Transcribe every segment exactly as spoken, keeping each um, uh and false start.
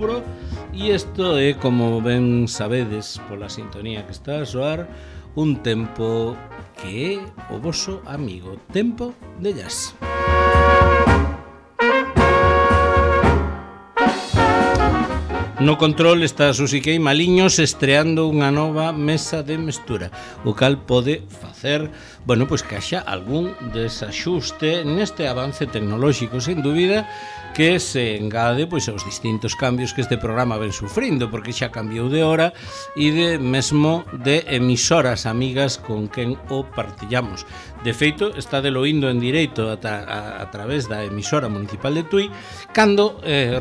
outubro e isto é, como ben sabedes pola sintonía que está a soar, un tempo que é o voso amigo Tempo de Jazz. No control está Susi Queimaliños estreando unha nova mesa de mestura, o cal pode facer, bueno, pois que haxa algún desaxuste neste avance tecnolóxico, sen dúbida, que se engade pois aos distintos cambios que este programa ven sufrindo, porque xa cambiou de hora e de mesmo de emisoras amigas con quen o partillamos. De feito, está de lo indo en directo a, a, a través da emisora municipal de Tui, cando eh,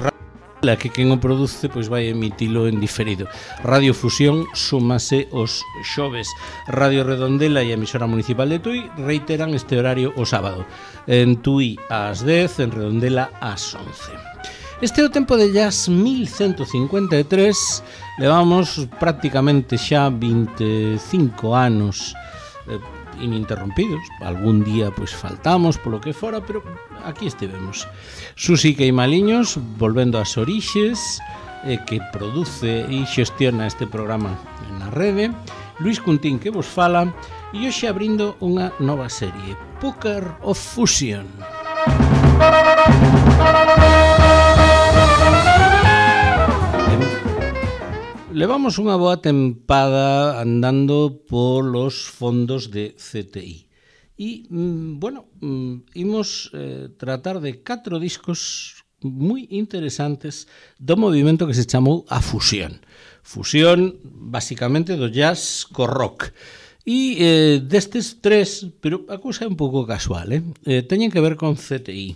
la que quen o produce pois vai emitilo en diferido. Radio Fusión súmase os xoves. Radio Redondela e a emisora municipal de Tui reiteran este horario o sábado. En Tui ás dez, en Redondela ás once. Este é o Tempo de Jazz mil ciento cincuenta e tres. Levamos prácticamente xa vinte e cinco anos eh, ininterrompidos. Algún día pois faltamos polo que fora, pero aquí estivemos. Susi Queimaliños, volvendo ás orixes, eh, que produce e xestiona este programa na rede. Luis Cuntín, que vos fala, e hoxe abrindo unha nova serie, Poker of Fusion. Levamos unha boa tempada andando polos fondos de C T I. E, bueno, imos eh, tratar de catro discos moi interesantes do movimento que se chamou a fusión. Fusión, basicamente, do jazz co rock. E eh, destes tres, pero a cousa é un pouco casual, eh? eh teñen que ver con C T I.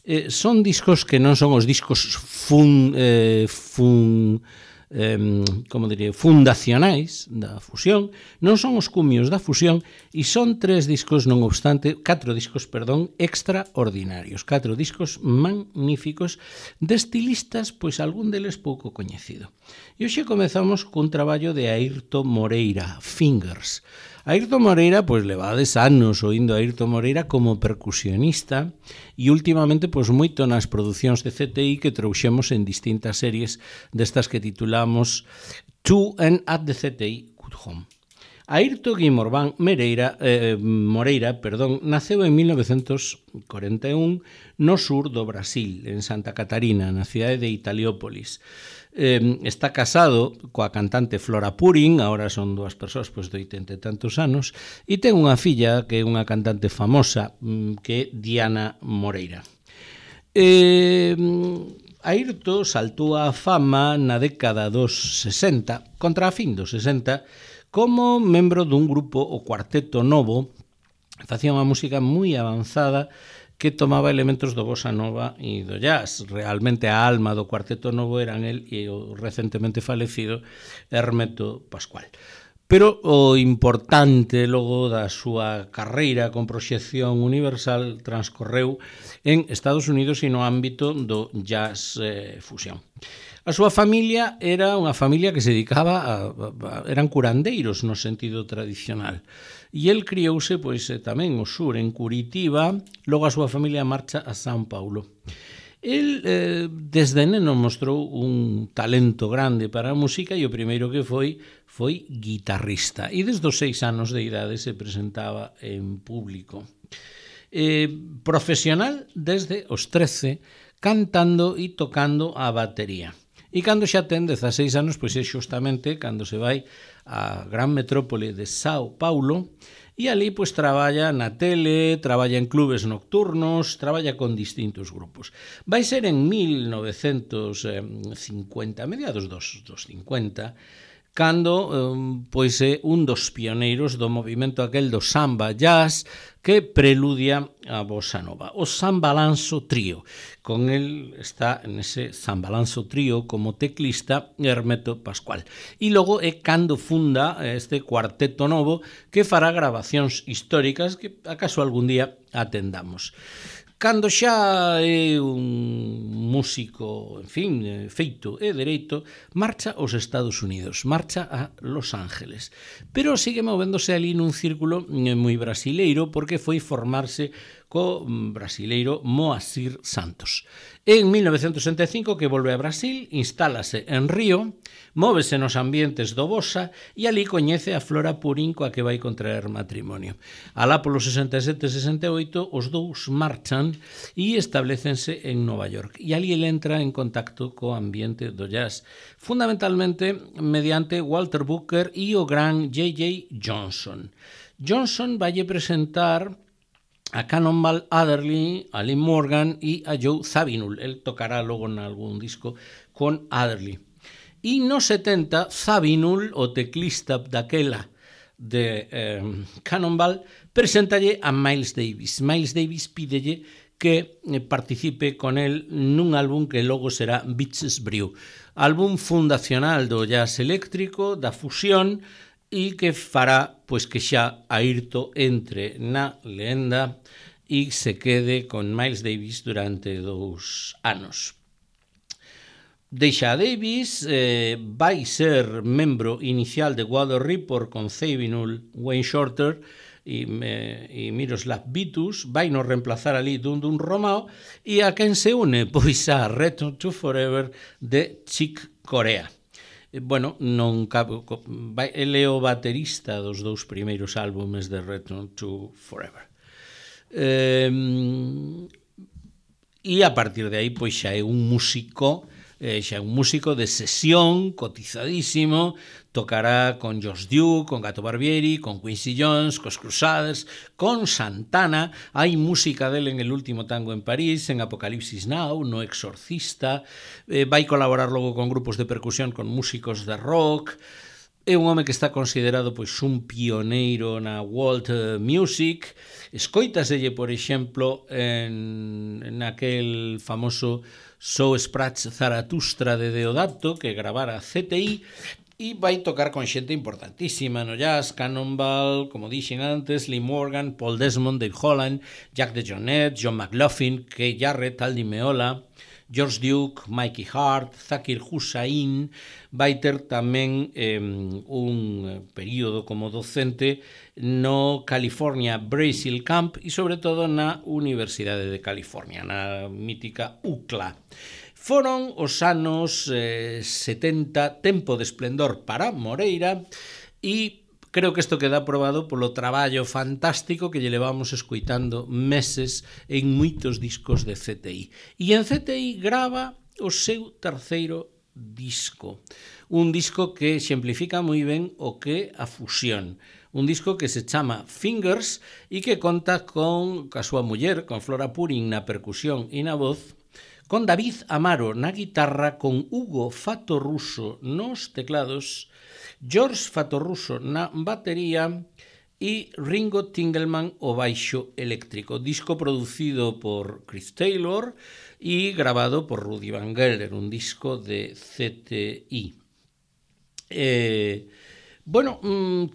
Eh, son discos que non son os discos fun... Eh, fun Eh, como diría, fundacionais da fusión, non son os cumios da fusión e son tres discos, non obstante, catro discos, perdón, extraordinarios, catro discos magníficos de estilistas, pois algún deles pouco coñecido. E hoxe comezamos cun traballo de Airto Moreira, Fingers. Airto Moreira, pois levades anos oindo a Airto Moreira como percusionista e últimamente pois moito nas producións de C T I que trouxemos en distintas series destas que titulamos To and at the C T I Good Home. Airto Guimorván Moreira, eh, Moreira perdón, naceu en mil novecentos corenta e un no sur do Brasil, en Santa Catarina, na cidade de Italiópolis. Eh, está casado coa cantante Flora Purin, agora son dúas persoas pois, de oitenta e tantos anos, e ten unha filla que é unha cantante famosa, que é Diana Moreira. Eh, Airto saltou á fama na década dos sesenta, contra a fin dos sesenta, como membro dun grupo, o Cuarteto Novo, facía unha música moi avanzada que tomaba elementos do bossa nova e do jazz. Realmente a alma do Cuarteto Novo eran el e o recentemente falecido Hermeto Pascual. Pero o importante logo da súa carreira con proxección universal transcorreu en Estados Unidos e no ámbito do jazz eh, fusión. A súa familia era unha familia que se dedicaba a, a, a eran curandeiros no sentido tradicional. E el criouse pois tamén o sur, en Curitiba, logo a súa familia marcha a São Paulo. El, eh, desde neno, mostrou un talento grande para a música e o primeiro que foi, foi guitarrista. E desde os seis anos de idade se presentaba en público. Eh, profesional desde os trece, cantando e tocando a batería. E cando xa ten dezaseis anos, pois é xustamente cando se vai a gran metrópole de Sao Paulo e ali pois traballa na tele, traballa en clubes nocturnos, traballa con distintos grupos. Vai ser en mil novecentos cincuenta, mediados dos, dos cincuenta, cando um, pois é un dos pioneiros do movimento aquel do samba jazz que preludia a bossa nova, o Sambalanço Trío. Con el está nese Sambalanço Trío como teclista Hermeto Pascual. E logo é cando funda este Cuarteto Novo que fará grabacións históricas que acaso algún día atendamos. Cando xa é un músico, en fin, feito e dereito, marcha aos Estados Unidos, marcha a Los Ángeles. Pero sigue movéndose ali nun círculo moi brasileiro porque foi formarse co brasileiro Moacir Santos. En mil novecentos sesenta e cinco que volve a Brasil, instálase en Río, móvese nos ambientes do Bossa e ali coñece a Flora Purin coa que vai contraer matrimonio. Alá polo sesenta e sete sesenta e oito os dous marchan e establecense en Nova York e ali ele entra en contacto co ambiente do jazz, fundamentalmente mediante Walter Booker e o gran J J Johnson. Johnson valle presentar a Cannonball Adderley, a Lee Morgan e a Joe Zawinul. El tocará logo en algún disco con Adderley. E no setenta, Zawinul, o teclista daquela de eh, Cannonball, presentalle a Miles Davis. Miles Davis pídelle que participe con el nun álbum que logo será Bitches Brew, álbum fundacional do jazz eléctrico, da fusión, e que fará pois que xa Airto entre na lenda e se quede con Miles Davis durante dous anos. Deixa a Davis, eh, vai ser membro inicial de Water Report con Zawinul, Wayne Shorter e, eh, e Miroslav Vitus, vai nos reemplazar ali dun dun Romao e a quen se une pois a Return to Forever de Chick Corea. Bueno, non cabe, ele é o baterista dos dous primeiros álbumes de Return to Forever. Eh, e a partir de aí, pois xa é un músico, eh, xa é un músico de sesión, cotizadísimo, tocará con Josh Duke, con Gato Barbieri, con Quincy Jones, cos Crusaders, con Santana, hai música dele en El último tango en París, en Apocalipsis Now, no Exorcista, eh, vai colaborar logo con grupos de percusión, con músicos de rock, é un home que está considerado pois un pioneiro na world music, escoitaselle, por exemplo, en, en aquel famoso So Sprach Zaratustra de Deodato, que gravara C T I, e vai tocar con xente importantísima no jazz, Cannonball, como dixen antes, Lee Morgan, Paul Desmond, Dave Holland, Jack DeJohnette, John McLaughlin, Keith Jarrett, Aldi Meola, George Duke, Mikey Hart, Zakir Hussain. Vai ter tamén eh, un período como docente no California Brasil Camp e sobre todo na Universidade de California, na mítica U C L A. Foron os anos eh, setenta, tempo de esplendor para Moreira, e creo que isto queda aprobado polo traballo fantástico que lle levamos escuitando meses en moitos discos de C T I. E en C T I grava o seu terceiro disco, un disco que exemplifica moi ben o que a fusión, un disco que se chama Fingers e que conta con a súa muller, con Flora Purin na percusión e na voz, con David Amaro na guitarra, con Hugo Fattoruso nos teclados, George Fattoruso na batería e Ringo Tingelman o baixo eléctrico. Disco producido por Chris Taylor e grabado por Rudy Van Gelder, un disco de C T I. Eh, bueno,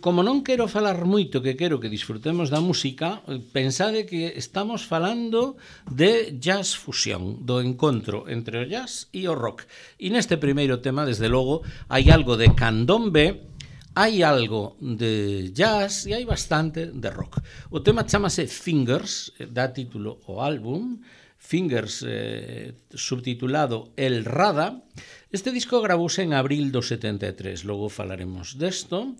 como non quero falar moito, que quero que disfrutemos da música, pensade que estamos falando de jazz fusión, do encontro entre o jazz e o rock. E neste primeiro tema, desde logo, hai algo de candombe, hai algo de jazz e hai bastante de rock. O tema chamase Fingers, dá título ao álbum, Fingers, eh, subtitulado El Rada. Este disco gravouse en abril do setenta e tres, logo falaremos desto,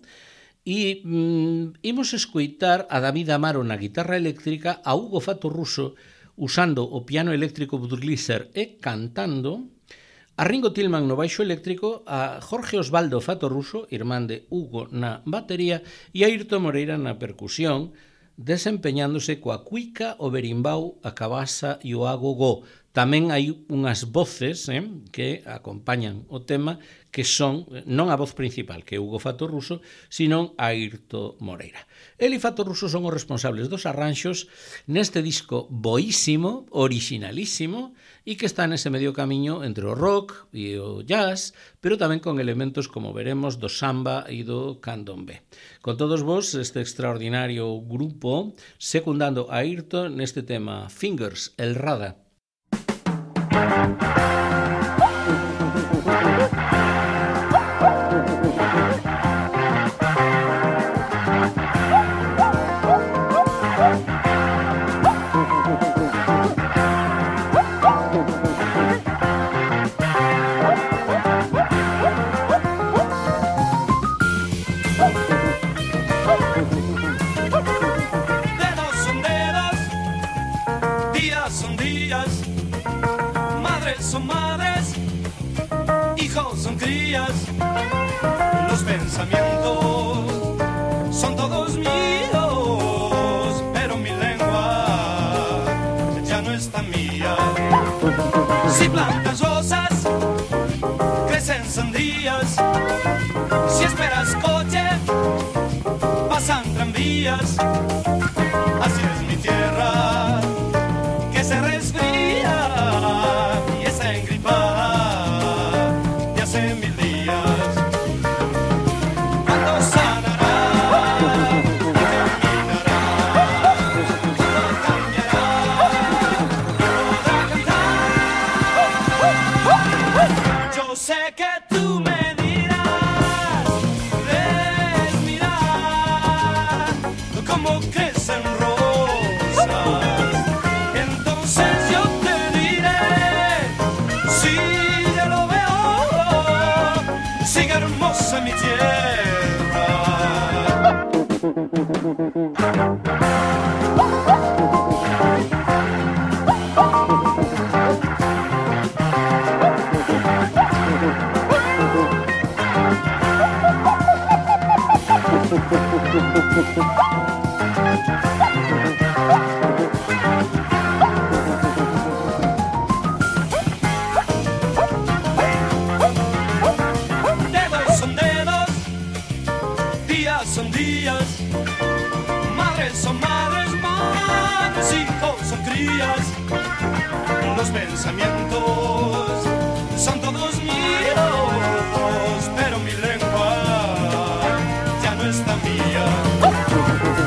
e mm, imos escoitar a David Amaro na guitarra eléctrica, a Hugo Fattoruso usando o piano eléctrico Budweiser e cantando, a Ringo Tillman no baixo eléctrico, a Jorge Osvaldo Fattoruso, irmán de Hugo, na batería, e a Airto Moreira na percusión, desempeñándose coa cuica, o berimbau, a cabasa e o agogó. Tamén hai unhas voces eh, que acompañan o tema, que son, non a voz principal, que é Hugo Fattoruso, sino a Airto Moreira. El e Fattoruso son os responsables dos arranxos neste disco boísimo, originalísimo, e que está nese medio camiño entre o rock e o jazz, pero tamén con elementos, como veremos, do samba e do candombe. Con todos vos, este extraordinario grupo, secundando a Airto neste tema Fingers, El Rada. hijos son crías, los pensamientos son todos míos, pero mi lengua ya no es tan mía. Si plantas rosas, crecen sandías. Si esperas coche, pasan tranvías. Así es mi tierra, que se resfría y está engripada de hace mil días. Cuando sanará y terminará, todo cambiará y podrá cantar. Yo sé que tú me dirás, ves, mira cómo crecen rosas. Entonces yo te diré, sí, ya lo veo, sigue hermosa mi tierra. Dedos son dedos, días son días, madres son madres, madres, hijos son crías. Los pensamientos son todos míos, pero mi lengua ya no está mía.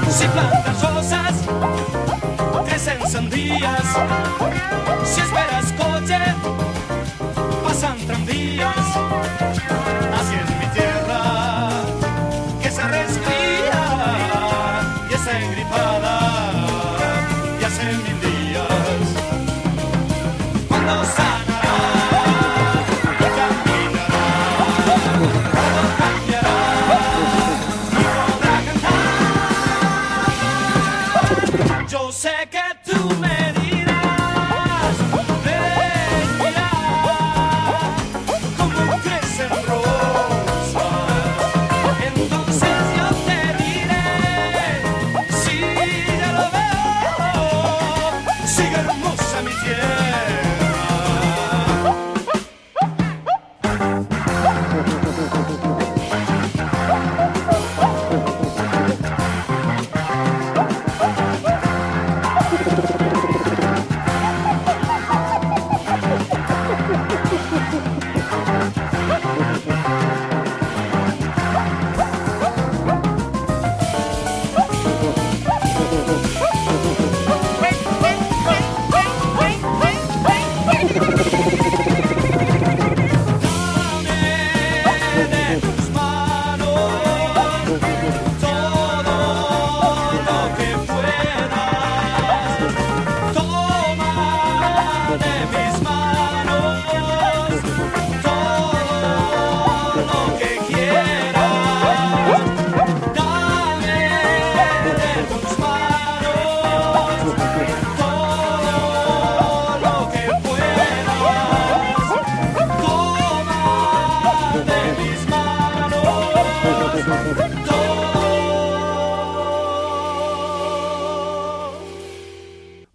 Si plantas rosas, crecen sandías. Si esperas coche, pasan tranvías. Así es mi tierra, que se resfría y está engripada y hace mil días. Cuando sanará y caminará, todo cambiará y podrá cantar. Yo sé que tú me dirás, ves, mira cómo crecen rosas. Entonces yo te diré, sí, ya lo veo, sigue hermosa mi tierra.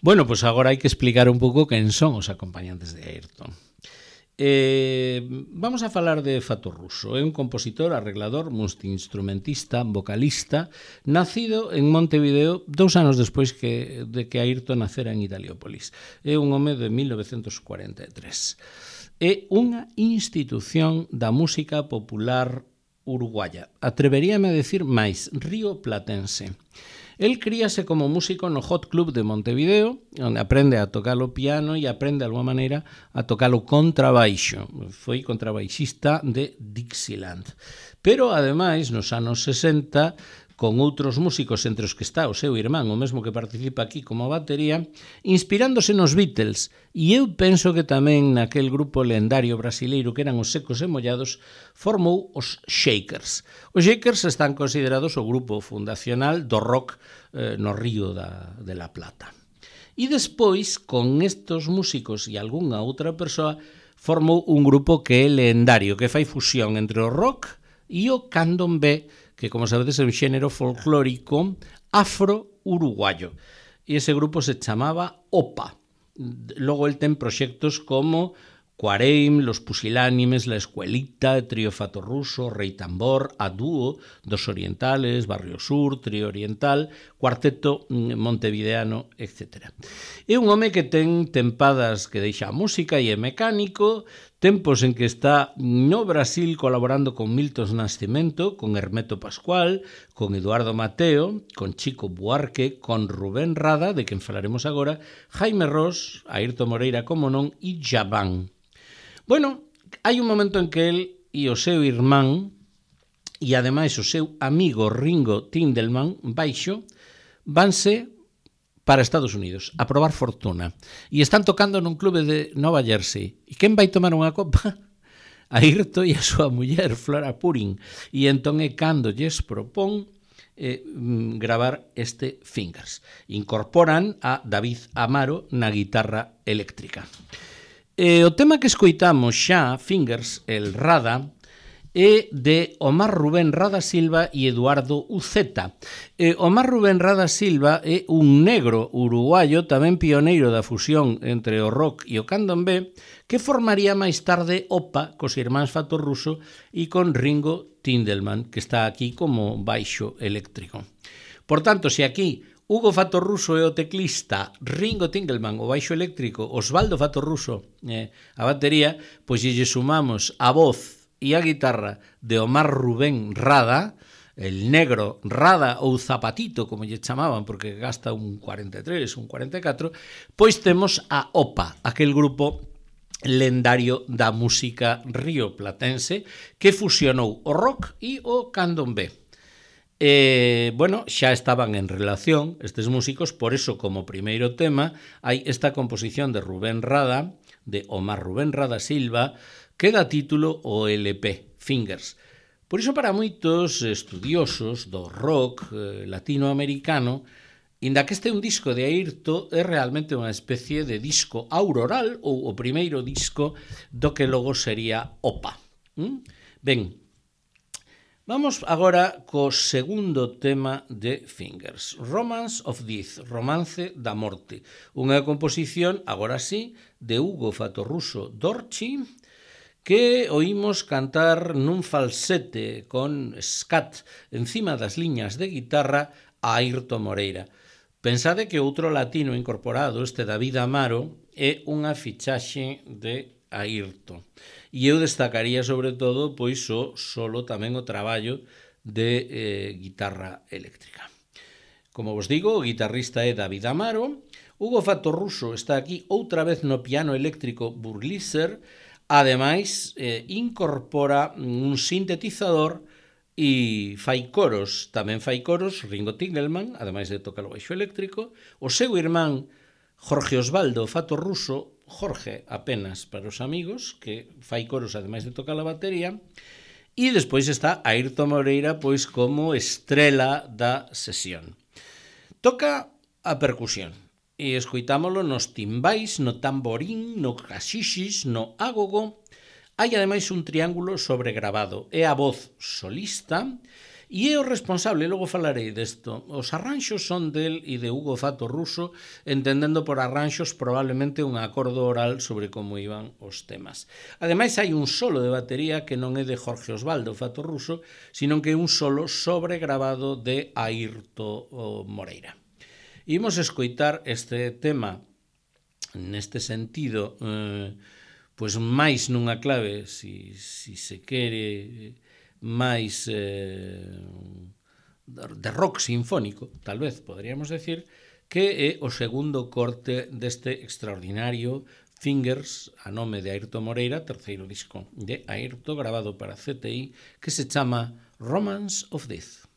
Bueno, pois agora hai que explicar un pouco quen son os acompañantes de Ayrton. Eh, vamos a falar de Fato Russo. É un compositor, arreglador, multiinstrumentista, vocalista, nacido en Montevideo dous anos despois que, de que Ayrton nacera en Italiópolis. É un home de mil novecentos cuarenta e tres. É unha institución da música popular uruguaya. Atreveríame a decir máis, rioplatense. El críase como músico no Hot Club de Montevideo, onde aprende a tocar o piano e aprende de alguma maneira a tocar o contrabaixo. Foi contrabaixista de Dixieland. Pero, ademais, nos anos sesenta, con outros músicos entre os que está o seu irmán, o mesmo que participa aquí como batería, inspirándose nos Beatles, e eu penso que tamén naquel grupo lendario brasileiro que eran os Secos e Mollados, formou os Shakers. Os Shakers están considerados o grupo fundacional do rock eh, no Río da, de la Plata. E despois, con estos músicos e algunha outra persoa, formou un grupo que é lendario, que fai fusión entre o rock e o candomblé, que, como sabedes, é un xénero folclórico afro-uruguayo. E ese grupo se chamaba OPA. Logo el ten proxectos como Cuareim, Los Pusilánimes, La Escuelita, Trío Fatorruso, Rei Tambor, A Dúo, Dos Orientales, Barrio Sur, Trío Oriental, Cuarteto Montevideano, etcétera. É un home que ten tempadas que deixa a música e é mecánico, tempos en que está no Brasil colaborando con Milton Nascimento, con Hermeto Pascual, con Eduardo Mateo, con Chico Buarque, con Rubén Rada, de quen falaremos agora, Jaime Ross, Airto Moreira, como non, e Jabán. Bueno, hai un momento en que el e o seu irmán e ademais o seu amigo Ringo Tindelman baixo vanse para Estados Unidos a probar fortuna e están tocando nun clube de Nova Jersey. E quen vai tomar unha copa? Airto e a súa muller Flora Purin, e entón é cando lles propón eh, gravar este Fingers. Incorporan a David Amaro na guitarra eléctrica. E o tema que escoitamos xa, Fingers, el Rada, é de Omar Rubén Rada Silva e Eduardo Uceta. E Omar Rubén Rada Silva é un negro uruguayo, tamén pioneiro da fusión entre o rock e o candomblé, que formaría máis tarde OPA cos irmáns Fatorruso e con Ringo Tindelman, que está aquí como baixo eléctrico. Por tanto, se aquí Hugo Fatorruso é o teclista, Ringo Tindelman o baixo eléctrico, Osvaldo Fatorruso eh, a batería, pois lle sumamos a voz e a guitarra de Omar Rubén Rada, el negro Rada ou Zapatito, como lle chamaban, porque gasta un cuarenta e tres, un cuarenta e catro, pois temos a OPA, aquel grupo lendario da música rioplatense que fusionou o rock e o candomblé. Eh, bueno, xa estaban en relación estes músicos, por eso como primeiro tema hai esta composición de Rubén Rada, de Omar Rubén Rada Silva, que dá título o L P, Fingers. Por iso para moitos estudiosos do rock eh, latinoamericano, inda que este é un disco de Airto, é realmente unha especie de disco auroral ou o primeiro disco do que logo sería OPA. ¿Mm? Ben, vamos agora co segundo tema de Fingers, Romance of Death, Romance da Morte, unha composición, agora sí, de Hugo Fatorruso Dorchi, que oímos cantar nun falsete con scat encima das liñas de guitarra a Airto Moreira. Pensade que outro latino incorporado, este David Amaro, é unha fichaxe de Airto. E eu destacaría sobre todo pois o solo tamén o traballo de eh, guitarra eléctrica. Como vos digo, o guitarrista é David Amaro, Hugo Fatorruso está aquí outra vez no piano eléctrico Burglisser, ademais eh, incorpora un sintetizador e fai coros, tamén fai coros Ringo Tindelman, ademais de tocar o baixo eléctrico, o seu irmán Jorge Osvaldo Fatorruso, Jorge apenas para os amigos, que fai coros ademais de tocar a batería, e despois está Airto Moreira pois como estrela da sesión. Toca a percusión, e escoitámolo nos timbais, no tamborín, no cachixis, no agogo. Hai ademais un triángulo sobregravado, é a voz solista, e é o responsable, logo falarei desto. Os arranxos son del e de Hugo Fatorruso, entendendo por arranxos probablemente un acordo oral sobre como iban os temas. Ademais, hai un solo de batería que non é de Jorge Osvaldo Fatorruso, sino que é un solo sobregravado de Airto Moreira. Imos escoitar este tema neste sentido, eh, pois máis nunha clave, si, si se quere, máis eh, de rock sinfónico, tal vez poderíamos decir, que é o segundo corte deste extraordinario Fingers, a nome de Airto Moreira, terceiro disco de Airto, grabado para C T I, que se chama Romance of Death.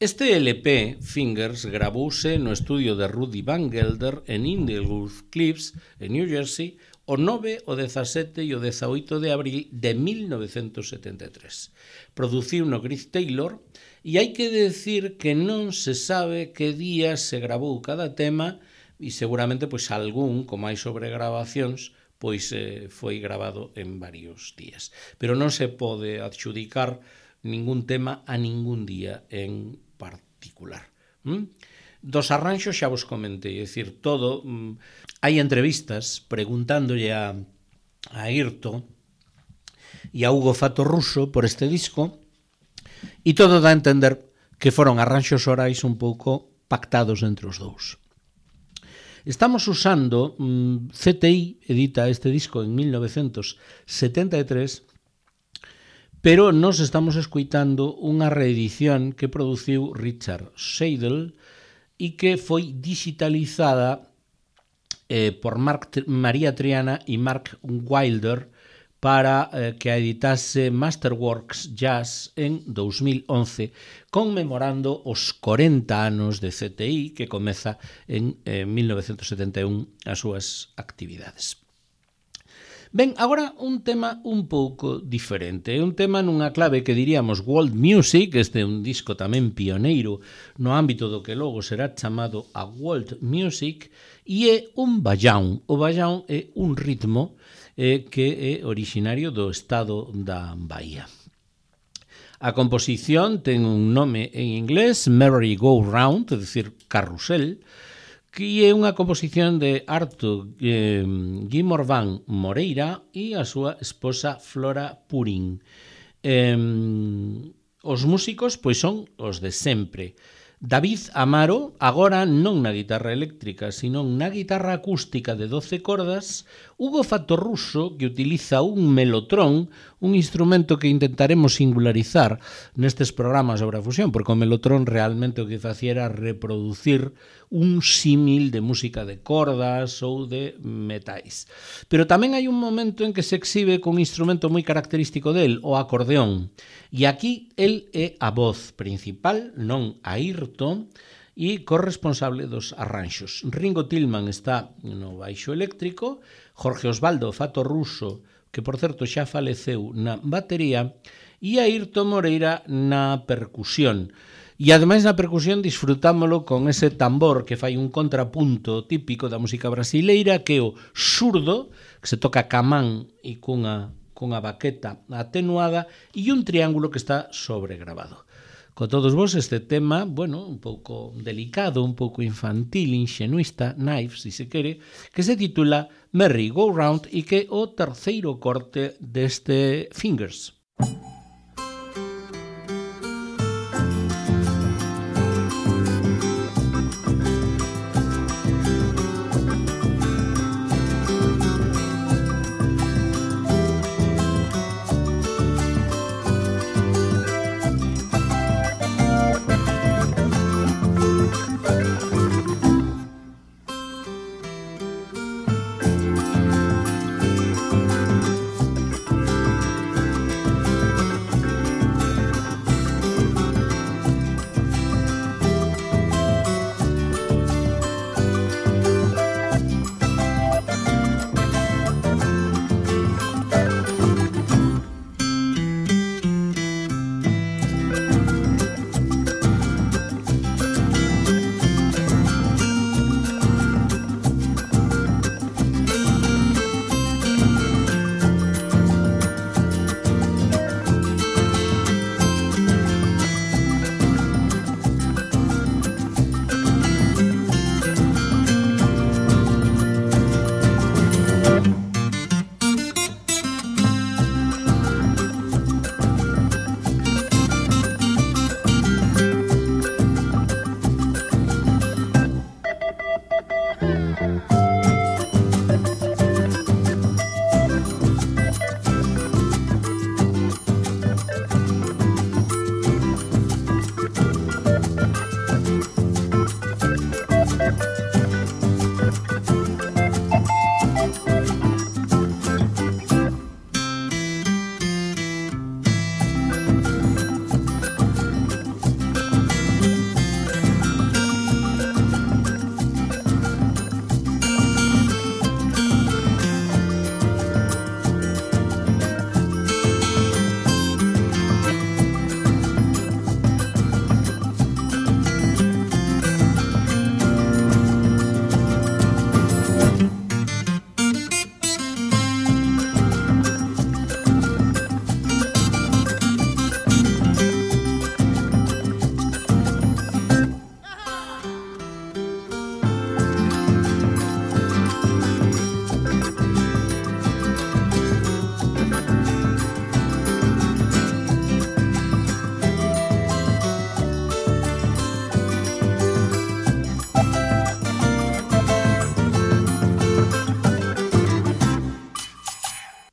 Este L P, Fingers, gravouse no estudio de Rudy Van Gelder en Inglewood Cliffs, en New Jersey, o nove, o dezasete e o dezaoito de abril de mil novecentos setenta e tres. Produciu no Griff Taylor, e hai que decir que non se sabe que día se gravou cada tema, e seguramente pois algún, como hai sobre grabacións, pois eh, foi gravado en varios días. Pero non se pode adxudicar ningún tema a ningún día en particular. ¿Mm? Dos arranxos xa vos comentei, é dicir, todo... Mm, hai entrevistas preguntándolle a, a Airto e a Hugo Fattoruso por este disco, e todo dá a entender que foron arranxos orais un pouco pactados entre os dous. Estamos usando... Mm, C T I edita este disco en mil novecentos setenta e tres, pero nos estamos escuitando unha reedición que produciu Richard Seidel e que foi digitalizada eh, por Mark, María Triana e Mark Wilder para eh, que a editase Masterworks Jazz en dos mil once, conmemorando os corenta anos de C T I, que comeza en eh, mil novecentos setenta e un as súas actividades. Ben, agora un tema un pouco diferente, un tema nunha clave que diríamos world music, este é un disco tamén pioneiro no ámbito do que logo será chamado a world music, e é un bajão. O bajão é un ritmo eh, que é originario do estado da Bahía. A composición ten un nome en inglés, Merry Go Round, é dicir, carrusel, que é unha composición de Arto eh, Guimorván Moreira e a súa esposa Flora Purín. Eh, os músicos pois son os de sempre. David Amaro, agora non na guitarra eléctrica, sino na guitarra acústica de doce cordas. Hugo Fattoruso, que utiliza un melotrón, un instrumento que intentaremos singularizar nestes programas sobre a fusión, porque o melotrón realmente o que facía era reproducir un símil de música de cordas ou de metais. Pero tamén hai un momento en que se exhibe con un instrumento moi característico del, o acordeón. E aquí el é a voz principal, non Airto, e corresponsable dos arranxos. Ringo Tillman está no baixo eléctrico, Jorge Osvaldo Fattoruso, que por certo xa faleceu, na batería, e Airto Moreira na percusión. E ademais na percusión disfrutámolo con ese tambor que fai un contrapunto típico da música brasileira, que é o surdo, que se toca camán e cunha, cunha baqueta atenuada, e un triángulo que está sobregrabado. Con todos vos este tema, bueno, un pouco delicado, un pouco infantil, ingenuista, naif, si se quere, que se titula Merry Go Round e que é o terceiro corte deste Fingers.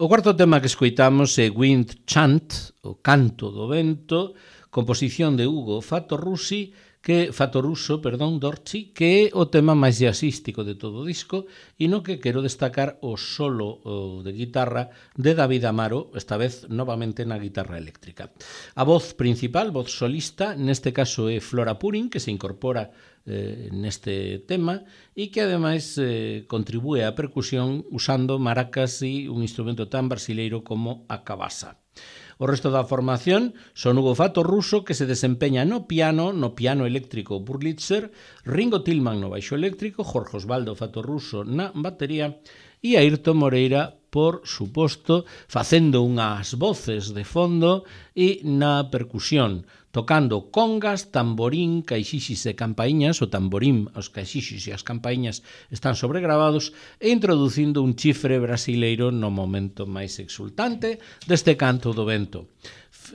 O cuarto tema que escoitamos é Wind Chant, o canto do vento, composición de Hugo Fattoruso, que Fattoruso, perdón, Dorci, que é o tema máis jazzístico de todo o disco e no que quero destacar o solo o de guitarra de David Amaro, esta vez novamente na guitarra eléctrica. A voz principal, voz solista, neste caso é Flora Purin, que se incorpora eh, neste tema e que ademais eh, contribúe á percusión usando maracas e un instrumento tan brasileiro como a cabasa. O resto da formación son Hugo Fattoruso, que se desempeña no piano, no piano eléctrico Burlitzer, Ringo Tillman no baixo eléctrico, Jorge Osvaldo Fattoruso na batería e Ayrton Moreira, por suposto, facendo unhas voces de fondo e na percusión, tocando congas, tamborín, caixixis e campaíñas, o tamborín, os caixixis e as campaíñas están sobregravados, e introducindo un chifre brasileiro no momento máis exultante deste canto do vento.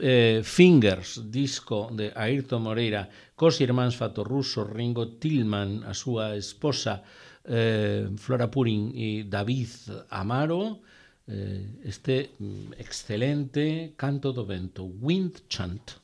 Eh, Fingers, disco de Ayrton Moreira, cos irmáns Fattoruso, Ringo Tillman, a súa esposa eh, Flora Purin e David Amaro, eh, este excelente canto do vento, Wind Chant.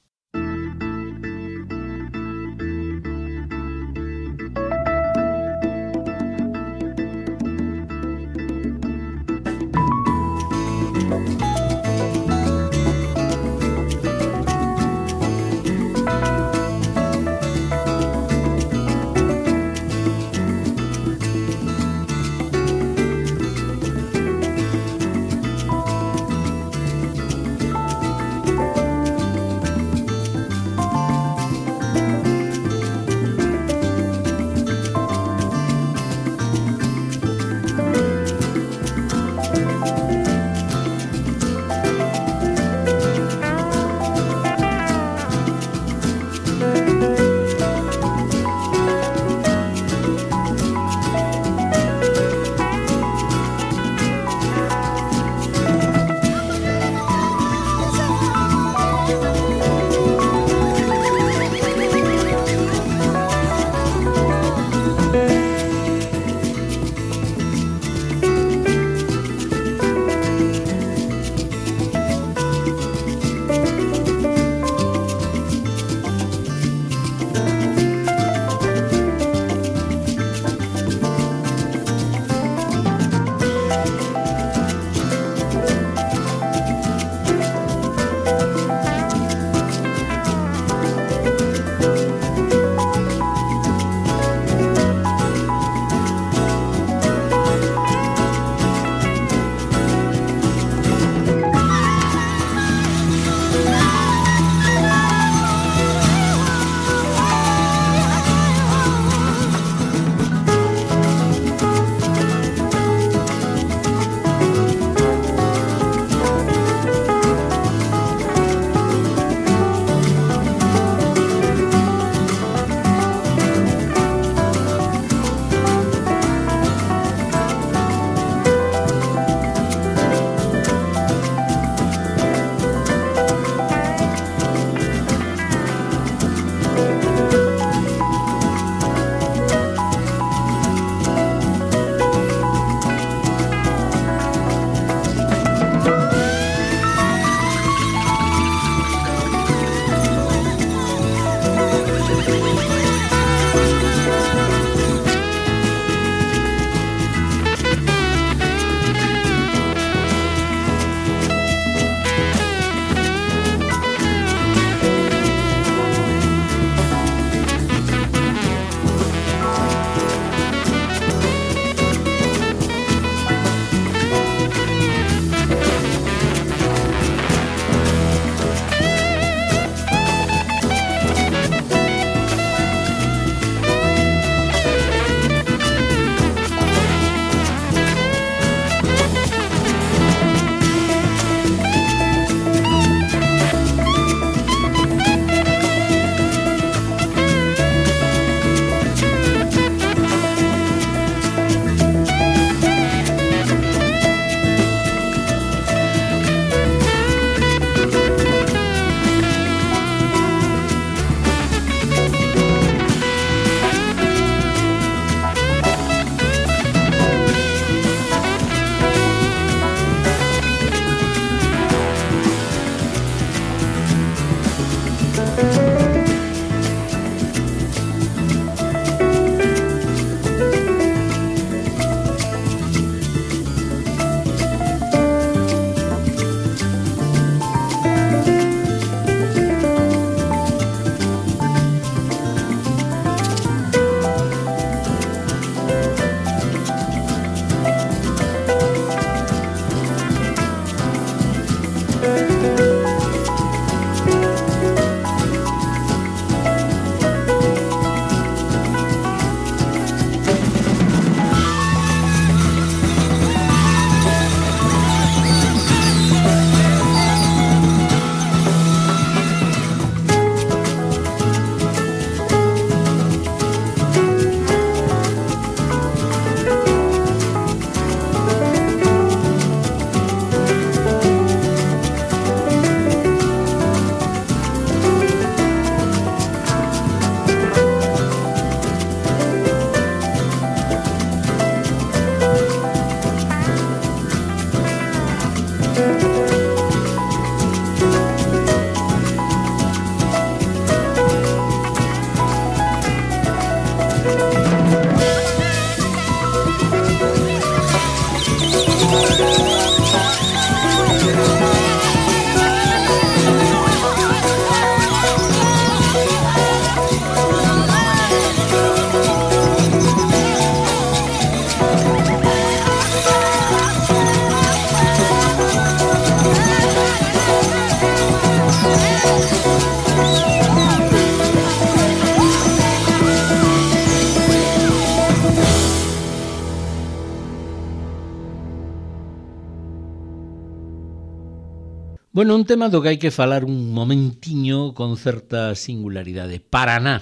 Bueno, un tema do que hai que falar un momentiño con certa singularidade. Paraná.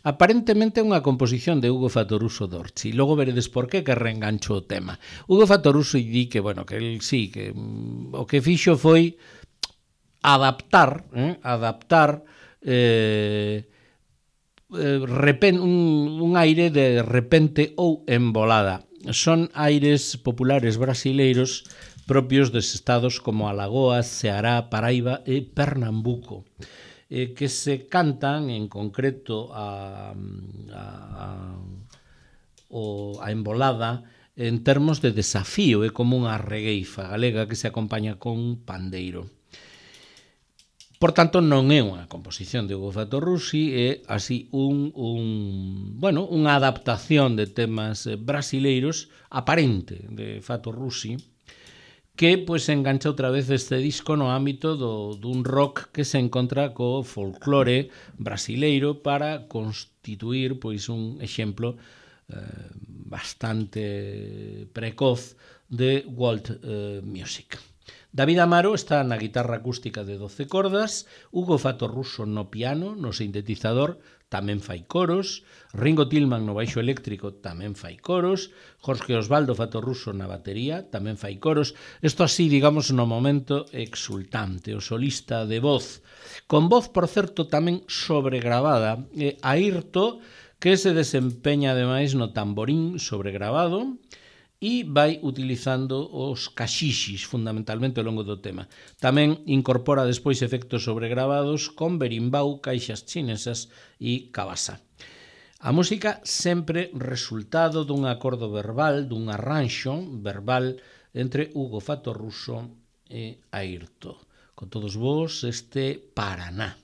Aparentemente é unha composición de Hugo Fattoruso Dorci. Logo veredes por que que reengancho o tema. Hugo Fattoruso di que, bueno, que el sí, que mm, o que fixo foi adaptar, eh, adaptar eh, eh, repen, un, un aire de repente ou embolada. Son aires populares brasileiros propios dos estados como Alagoas, Ceará, Paraíba e Pernambuco, eh, que se cantan en concreto a, a, a, o, a embolada en termos de desafío, é como unha regueifa galega que se acompaña con pandeiro. Por tanto, non é unha composición de Hugo Fattoruso, é así un, un, bueno, unha adaptación de temas brasileiros aparente de Fattoruso, que pois engancha outra vez este disco no ámbito do, dun rock que se encontra co folclore brasileiro para constituir pois un exemplo eh, bastante precoz de world eh, music. David Amaro está na guitarra acústica de doce cordas, Hugo Fattoruso no piano, no sintetizador, tamén fai coros, Ringo Tillman no baixo eléctrico tamén fai coros, Jorge Osvaldo Fattoruso na batería tamén fai coros. Isto así, digamos, no momento exultante, o solista de voz, con voz, por certo, tamén sobregravada, e Airto, que se desempeña ademais no tamborín sobregravado, e vai utilizando os caxixis fundamentalmente ao longo do tema. Tamén incorpora despois efectos sobregravados con berimbau, caixas chinesas e cabasa. A música sempre resultado dun acordo verbal, dun arranxo verbal entre Hugo Fattoruso e Airto. Con todos vos este Paraná.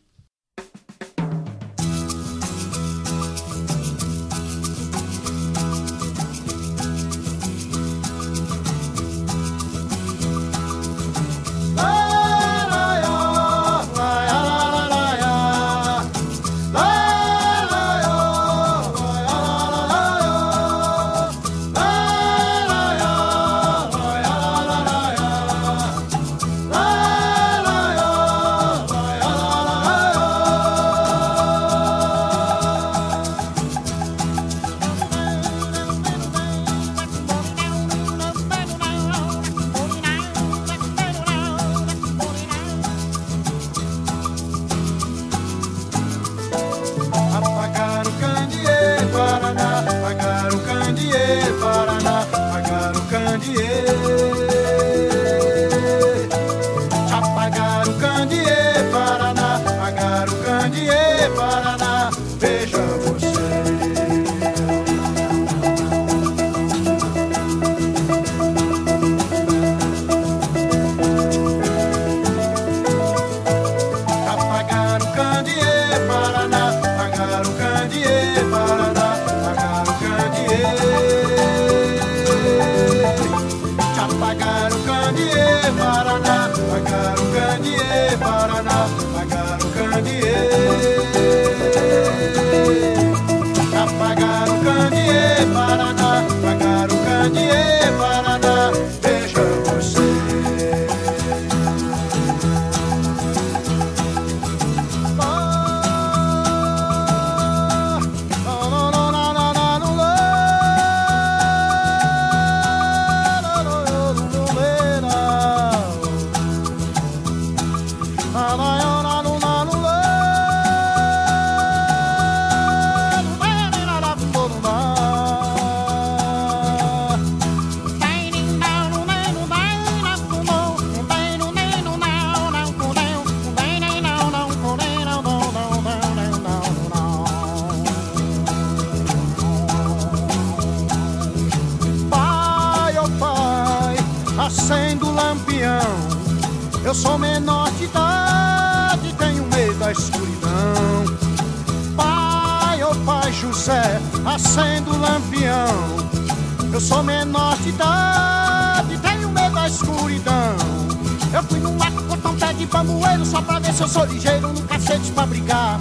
Eu sou menor de idade, tenho medo da escuridão. Pai, oh pai José, acendo o lampião. Eu sou menor de idade, tenho medo da escuridão. Eu fui num mato cortar um pé de bambueiro só pra ver se eu sou ligeiro no cacete pra brigar.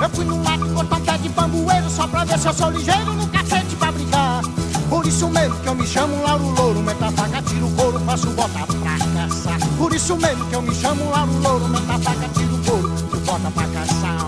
Eu fui num mato cortar um pé de bambueiro só pra ver se eu sou ligeiro no cacete pra brigar. Por isso mesmo que eu me chamo Lauro Louro, meta faca, tiro couro, faço bota pra caçar. Por isso mesmo que eu me chamo lá no louro, meu tapaca tira o couro, tu bota pra caçar.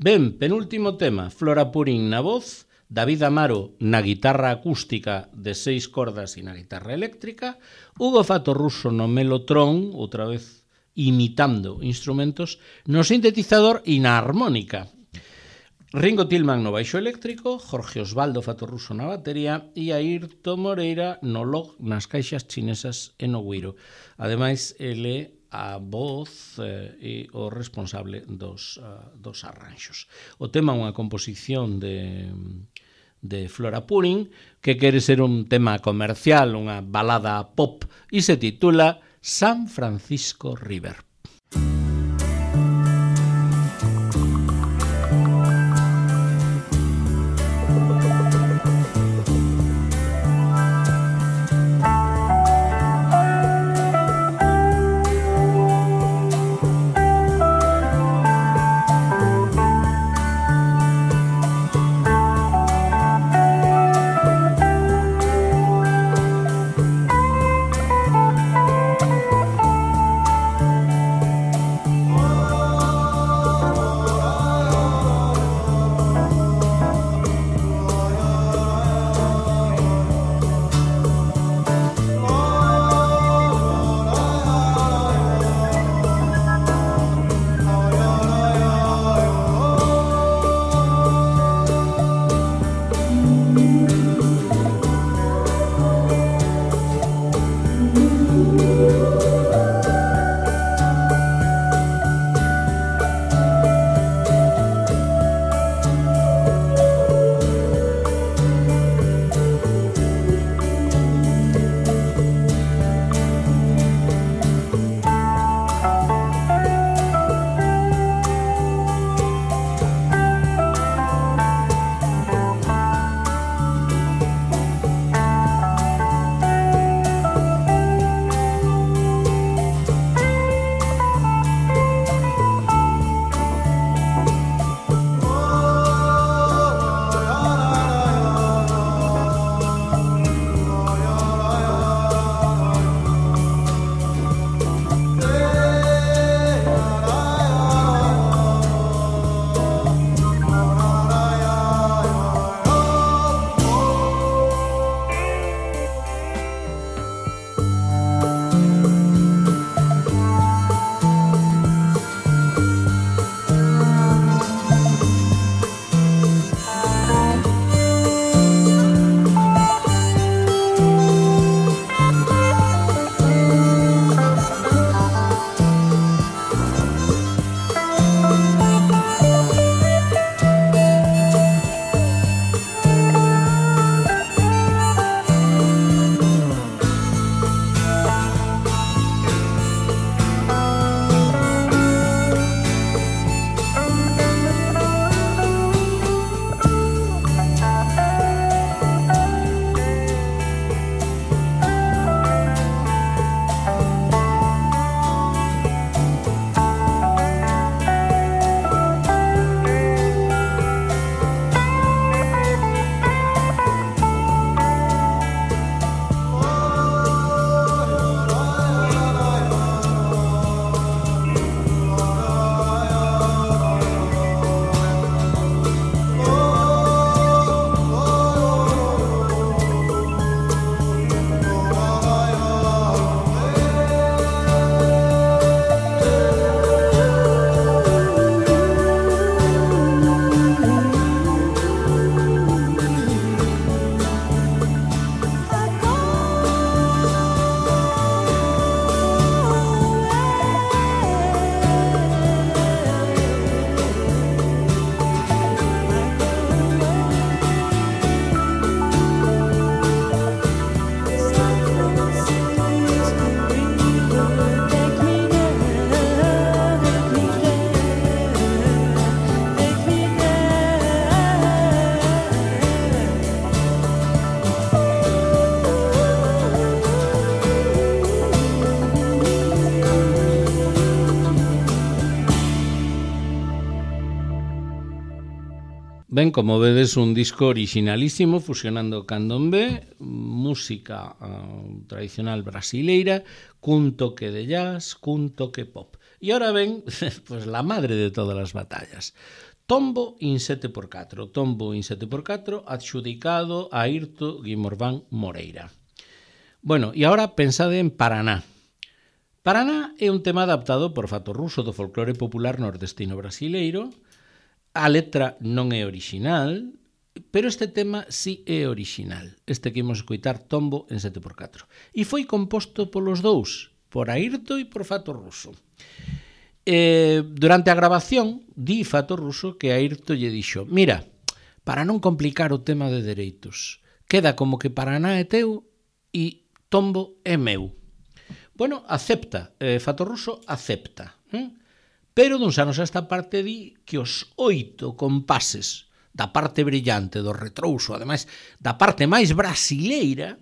Ben, penúltimo tema, Flora Purín na voz, David Amaro na guitarra acústica de seis cordas e na guitarra eléctrica, Hugo Fattorruso no melotrón, outra vez imitando instrumentos, no sintetizador e na armónica. Ringo Tillman no baixo eléctrico, Jorge Osvaldo Fattorruso na batería e Airto Moreira no log, nas caixas chinesas e no güiro. Ademais, ele a voz eh, e o responsable dos, uh, dos arranxos. O tema é unha composición de, de Flora Purín que quere ser un tema comercial, unha balada pop, e se titula San Francisco River. Ben, como vedes, un disco originalísimo, fusionando candombe, música uh, tradicional brasileira, cun toque de jazz, cun toque pop. E ahora ven, pues, la madre de todas as batallas. Tombo in sete por catro. Tombo in sete por catro, adxudicado a Airto Guimorván Moreira. Bueno, e agora pensade en Paraná. Paraná é un tema adaptado por Fato Ruso do folclore popular nordestino brasileiro. A letra non é original, pero este tema sí é original. Este que imos escoitar, Tombo en sete por catro. E foi composto polos dous, por Airto e por Fato Ruso. Eh, durante a grabación, di Fato Ruso que Airto lle dixo: mira, para non complicar o tema de dereitos, queda como que Paraná é teu e Tombo é meu. Bueno, acepta, eh, Fato Ruso acepta. Eh? Pero duns anos a esta parte di que os oito compases da parte brillante do retrouso, ademais da parte máis brasileira,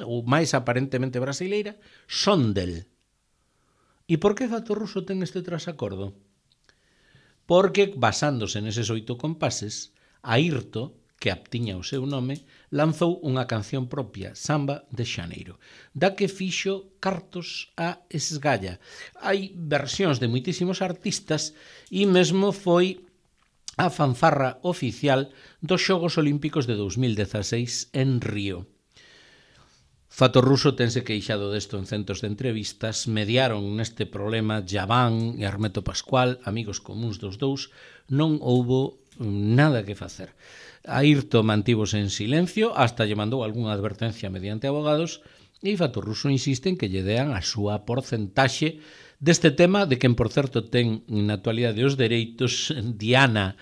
ou máis aparentemente brasileira, son del. E por que Fato Ruso ten este trasacordo? Porque, basándose neses oito compases, Airto, que aptiña o seu nome, lanzou unha canción propia, Samba de Xaneiro, da que fixo cartos a esgalla. Hai versións de moitísimos artistas e mesmo foi a fanfarra oficial dos Xogos Olímpicos de dous mil dezaseis en Río. Fato Ruso tense queixado desto en centos de entrevistas, mediaron neste problema Javán e Armeto Pascual, amigos comuns dos dous, non houbo nada que facer. Airto mantívose en silencio hasta lle mandou algunha advertencia mediante abogados e Fato Ruso insiste en que lle dean a súa porcentaxe deste tema, de quen, por certo, ten na actualidade os dereitos Diana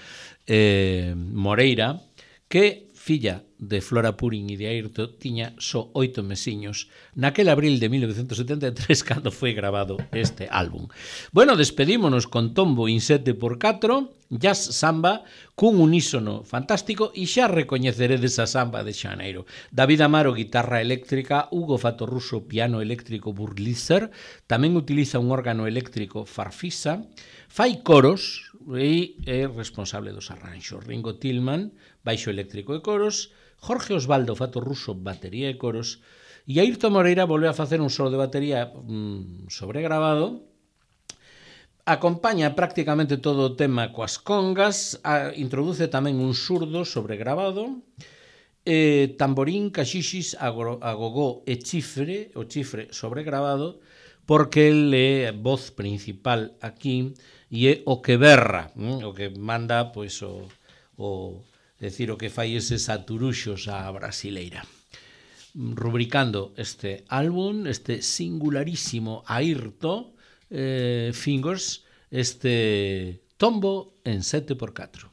eh, Moreira, que, filla de Flora Purín e de Airto, tiña só oito mesiños naquel abril de mil novecentos setenta e tres cando foi grabado este álbum. Bueno, despedímonos con Tombo in sete por catro, jazz samba cun unísono fantástico, e xa recoñeceredes a Samba de Xaneiro. David Amaro, guitarra eléctrica, Hugo Fato Ruso, piano eléctrico Burlizer, tamén utiliza un órgano eléctrico Farfisa, fai coros e é responsable dos arranxos. Ringo Tillman, baixo eléctrico e coros, Jorge Osvaldo Fato Ruso, batería e coros, e Airto Moreira volve a facer un solo de batería mmm, sobregrabado. Acompaña prácticamente todo o tema coas congas, a, introduce tamén un surdo sobregrabado, eh, tamborín, caxixis, agogó e chifre, o chifre sobregrabado, porque el é a voz principal aquí e é o que berra, hm? o que manda, pois, o, o decir, o que fai eses aturuxos á brasileira. Rubricando este álbum, este singularísimo Airto eh, Fingers, este Tombo en sete por catro.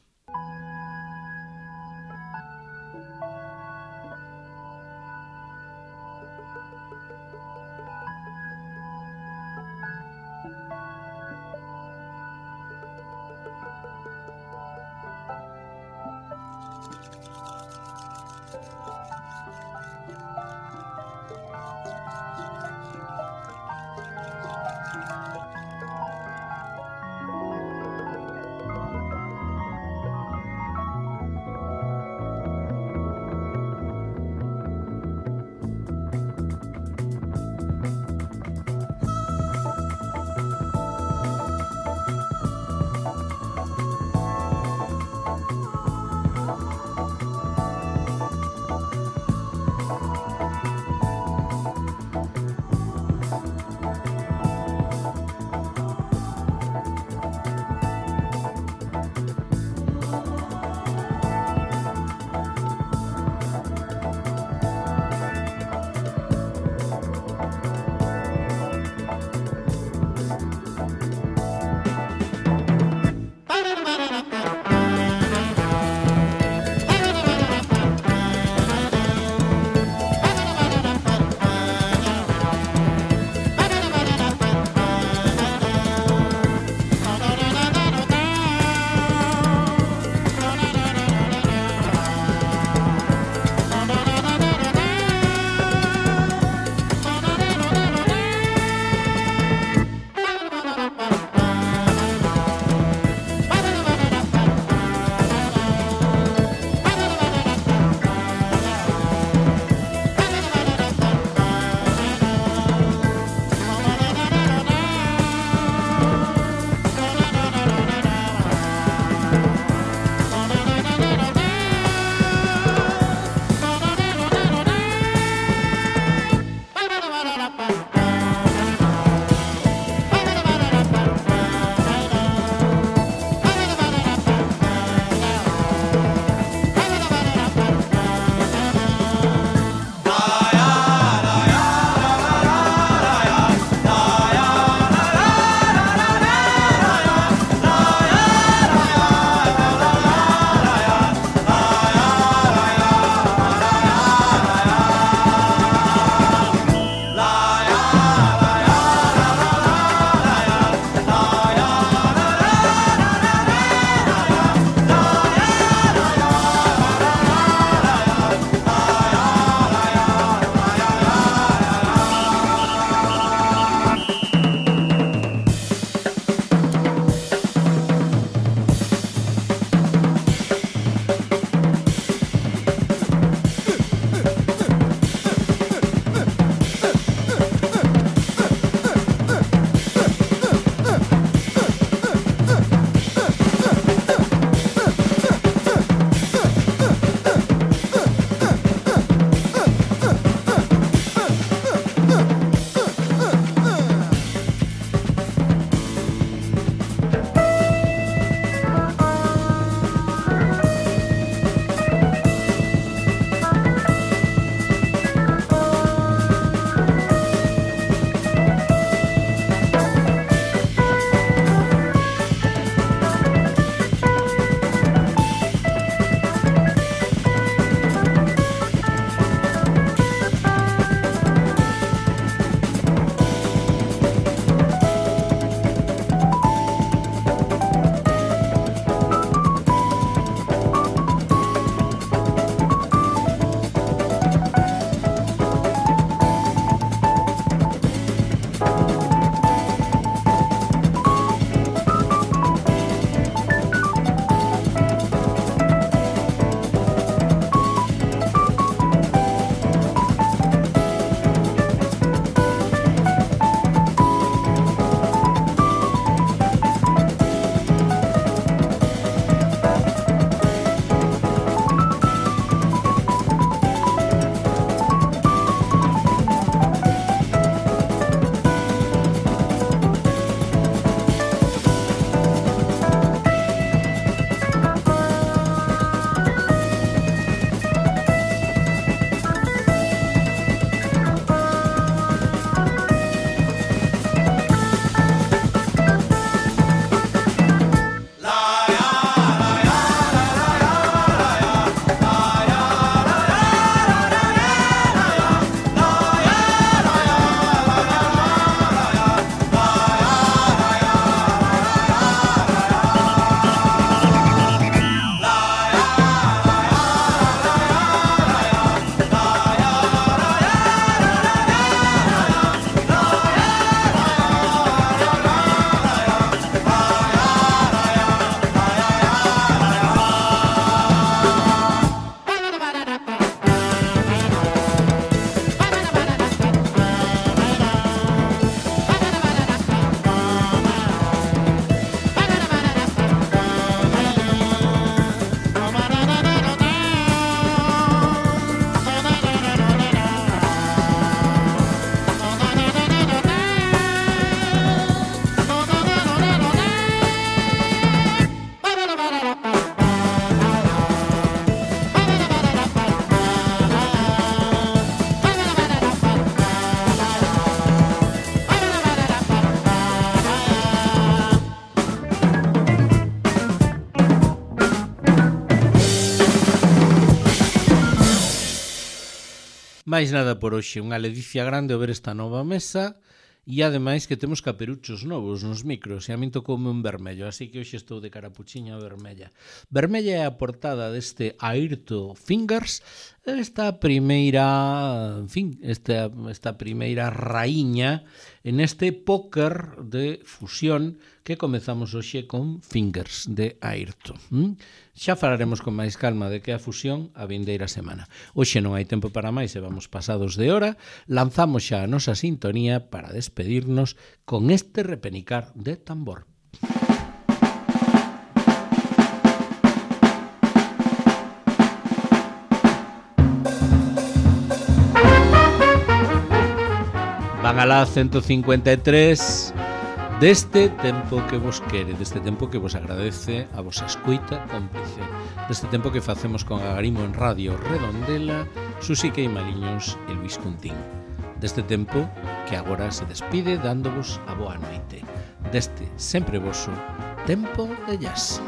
máis nada por hoxe, unha ledicia grande ao ver esta nova mesa. E ademais que temos caperuchos novos nos micros e a min tocoume un vermello, así que hoxe estou de carapuchiña vermella. Vermella é a portada deste Airto Fingers, esta primeira, en fin, esta, esta primeira raíña en este póker de fusión que comezamos hoxe con Fingers de Airto. ¿Mm? Xa falaremos con máis calma de que a fusión a vindeira semana. Hoxe non hai tempo para máis e vamos pasados de hora. Lanzamos xa a nosa sintonía para despedirnos con este repenicar de tambor. Van alá ciento cincuenta e tres deste tempo que vos quere, deste tempo que vos agradece a vosa escuita cómplice, deste tempo que facemos con Agarimo en Radio Redondela, Susi Queimaliños e Luis Cuntín, deste tempo que agora se despide dándovos a boa noite, deste sempre voso Tempo de Jazz.